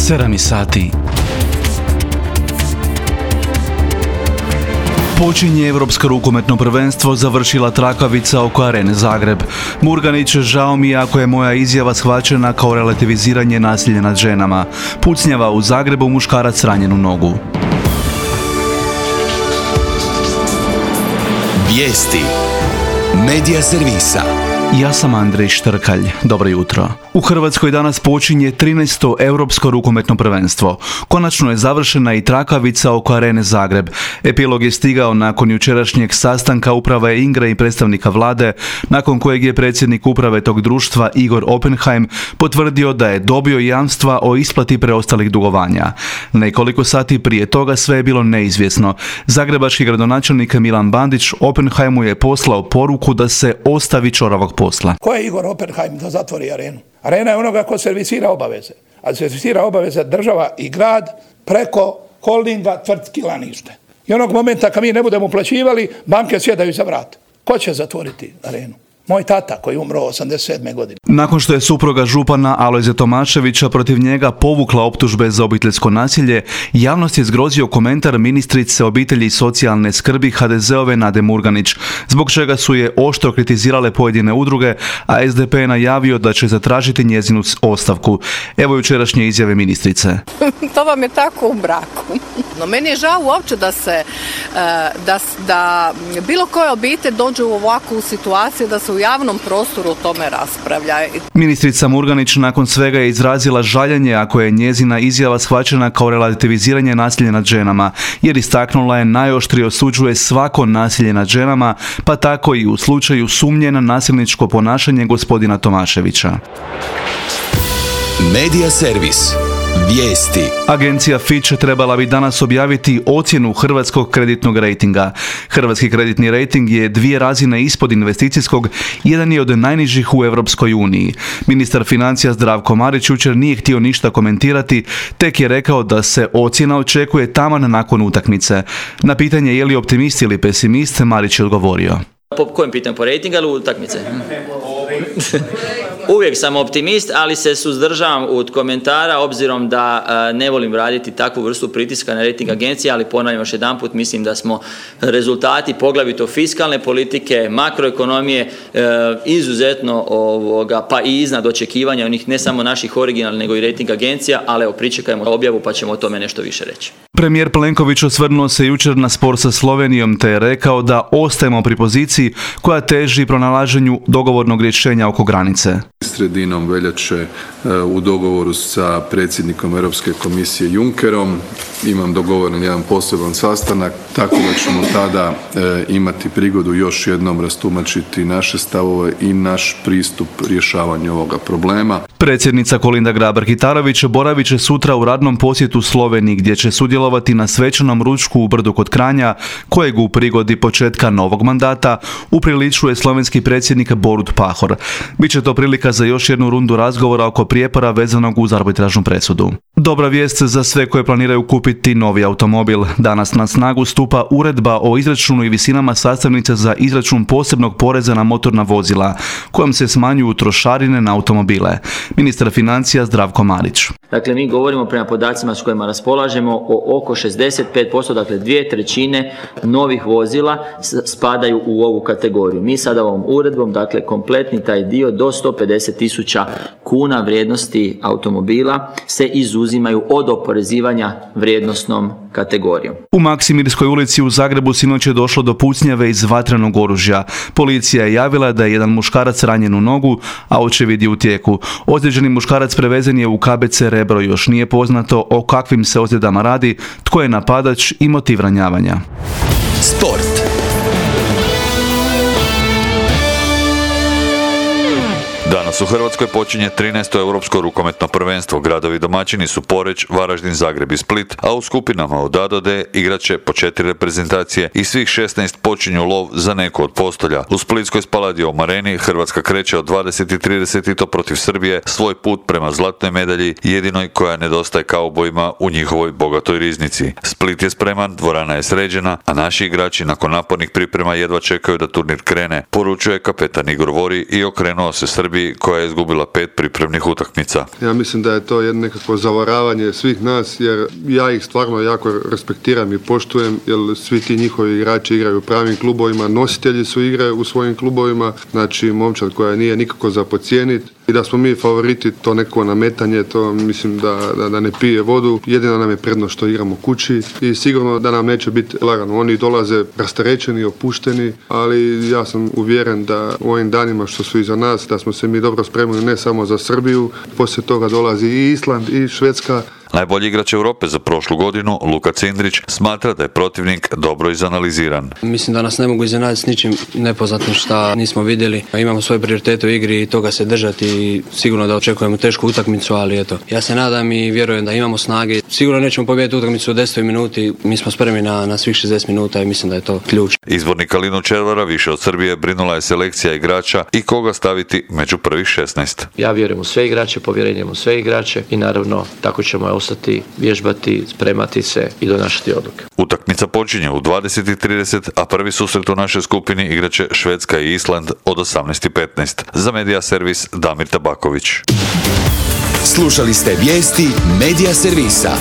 7 sati. Počinje Europsko rukometno prvenstvo, završila trakavica oko Arene Zagreb. Murganić, žao mi je ako je moja izjava shvaćena kao relativiziranje nasilja nad ženama. Pucnjava u Zagrebu, muškarac ranjen u nogu. Vijesti Medija servisa. Ja sam Andrej Štrkalj. Dobro jutro. U Hrvatskoj danas počinje 13. Europsko rukometno prvenstvo. Konačno je završena i trakavica oko Arene Zagreb. Epilog je stigao nakon jučerašnjeg sastanka uprave Ingre i predstavnika vlade, nakon kojeg je predsjednik uprave tog društva Igor Oppenheim potvrdio da je dobio jamstva o isplati preostalih dugovanja. Nekoliko sati prije toga sve je bilo neizvjesno. Zagrebački gradonačelnik Milan Bandić Oppenheimu je poslao poruku da se ostavi ćoravog posla. Ko je Igor Oppenheim da zatvori arenu? Arena je onoga ko servisira obaveze. A servisira obaveze država i grad preko holdinga tvrtki Lanište. I onog momenta kad mi ne budemo uplaćivali, banke sjedaju za vrat. Ko će zatvoriti arenu? Moj tata koji je umro 87. godine. Nakon što je supruga župana Alojze Tomaševića protiv njega povukla optužbe za obiteljsko nasilje, javnost je zgrozio komentar ministrice obitelji i socijalne skrbi HDZ-ove Nade Murganić, zbog čega su je oštro kritizirale pojedine udruge, a SDP je najavio da će zatražiti njezinu ostavku. Evo jučerašnje izjave ministrice. To vam je tako u braku. No meni je žao uopće da bilo koja obitelj dođe u ovakvu situaciju da se u javnom prostoru o tome raspravlja. Ministrica Murganić nakon svega je izrazila žaljenje ako je njezina izjava shvaćena kao relativiziranje nasilja nad ženama, jer istaknula je najoštrije osuđuje svako nasilje nad ženama, pa tako i u slučaju sumnje na nasilničko ponašanje gospodina Tomaševića. Medija servis. Vijesti. Agencija Fitch trebala bi danas objaviti ocjenu hrvatskog kreditnog rejtinga. Hrvatski kreditni rejting je 2 razine ispod investicijskog, jedan je od najnižih u Europskoj uniji. Ministar financija Zdravko Marić jučer nije htio ništa komentirati, tek je rekao da se ocjena očekuje taman nakon utakmice. Na pitanje je li optimist ili pesimist, Marić je odgovorio. Po kojem pitanju, po rejtinga ili utakmice? Uvijek sam optimist, ali se suzdržavam od komentara obzirom da ne volim raditi takvu vrstu pritiska na rejting agencije, ali ponavljam još jedanput, mislim da smo rezultati poglavito fiskalne politike, makroekonomije izuzetno pa i iznad očekivanja onih ne samo naših originalnih nego i rejting agencija, ali evo pričekajmo objavu pa ćemo o tome nešto više reći. Premijer Plenković osvrnuo se jučer na spor sa Slovenijom te je rekao da ostajemo pri poziciji koja teži pronalaženju dogovornog rješenja oko granice. Sredinom veljače u dogovoru sa predsjednikom Europske komisije Junckerom imam dogovoren jedan poseban sastanak, tako da ćemo tada imati prigodu još jednom rastumačiti naše stavove i naš pristup rješavanju ovoga problema. Predsjednica Kolinda Grabar-Kitarović boravit će sutra u radnom posjetu Sloveniji gdje će sudjelovati na svečanom ručku u Brdu kod Kranja, kojeg u prigodi početka novog mandata upriličuje slovenski predsjednik Borut Pahor. Biće to prilika za još jednu rundu razgovora oko prijepora vezanog uz arbitražnu presudu. Dobra vijest za sve koje planiraju kupiti novi automobil. Danas na snagu stupa uredba o izračunu i visinama sastavnice za izračun posebnog poreza na motorna vozila, kojom se smanjuju trošarine na automobile. Ministar financija Zdravko Marić. Dakle, mi govorimo prema podacima s kojima raspolažemo o oko 65%, dakle 2/3 novih vozila spadaju u ovu kategoriju. Mi sada ovom uredbom, dakle kompletni taj dio do 150.000 kuna vrijednosti automobila se izuzimaju od oporezivanja vrijednosnom kategorijom. U Maksimirskoj ulici u Zagrebu sinoć je došlo do pucnjave iz vatrenog oružja. Policija je javila da je jedan muškarac ranjen u nogu, a očevid je u tijeku. Ozlijeđeni muškarac prevezen je u KBC Rebro, još nije poznato o kakvim se ozljedama radi, tko je napadač i motiv ranjavanja. Sport. Danas u Hrvatskoj počinje 13. Europsko rukometno prvenstvo. Gradovi domaćini su Poreč, Varaždin, Zagreb i Split, a u skupinama od A do D igraće po 4 reprezentacije i svih 16 počinju lov za neku od postolja. U splitskoj Spaladium areni Hrvatska kreće od 20:30 i to protiv Srbije svoj put prema zlatnoj medalji, jedinoj koja nedostaje kaubojima u njihovoj bogatoj riznici. Split je spreman, dvorana je sređena, a naši igrači nakon napornih priprema jedva čekaju da turnir krene, poručuje kapetan Igor Vori i okrenuo se Srbiji Srbiji koja je izgubila 5 pripremnih utakmica. Ja mislim da je to jedno nekako zavaravanje svih nas, jer ja ih stvarno jako respektiram i poštujem, jer svi ti njihovi igrači igraju u pravim klubovima, nositelji su igre u svojim klubovima, znači momčad koja nije nikako za podcijeniti. I da smo mi favoriti, to neko nametanje, to mislim da ne pije vodu. Jedina nam je prednost što igramo kući i sigurno da nam neće biti lagano. Oni dolaze rasterećeni, opušteni, ali ja sam uvjeren da u ovim danima što su iza nas, da smo se mi dobro spremili ne samo za Srbiju, poslije toga dolazi i Island i Švedska. Najbolji igrač Europe za prošlu godinu, Luka Cindrić, smatra da je protivnik dobro izanaliziran. Mislim da nas ne mogu iznenaditi s ničim nepoznatim šta nismo vidjeli. Imamo svoje prioritete u igri i toga se držati i sigurno da očekujemo tešku utakmicu, ali eto, ja se nadam i vjerujem da imamo snage. Sigurno nećemo pobijediti utakmicu u 10. minuti, mi smo spremni na svih 60 minuta i mislim da je to ključ. Izbornika Linu Červara više od Srbije brinula je selekcija igrača i koga staviti među prvih 16. Ja vjerujem u sve igrače, povjerenjem u sve igrače i naravno tako ćemo ostati, vježbati, spremati se i donašati odluke. Utakmica počinje u 20:30, a prvi susret u našoj skupini igraće Švedska i Island od 18:15. Za Medija servis Damir Tabaković. Slušali ste vijesti Medija servisa.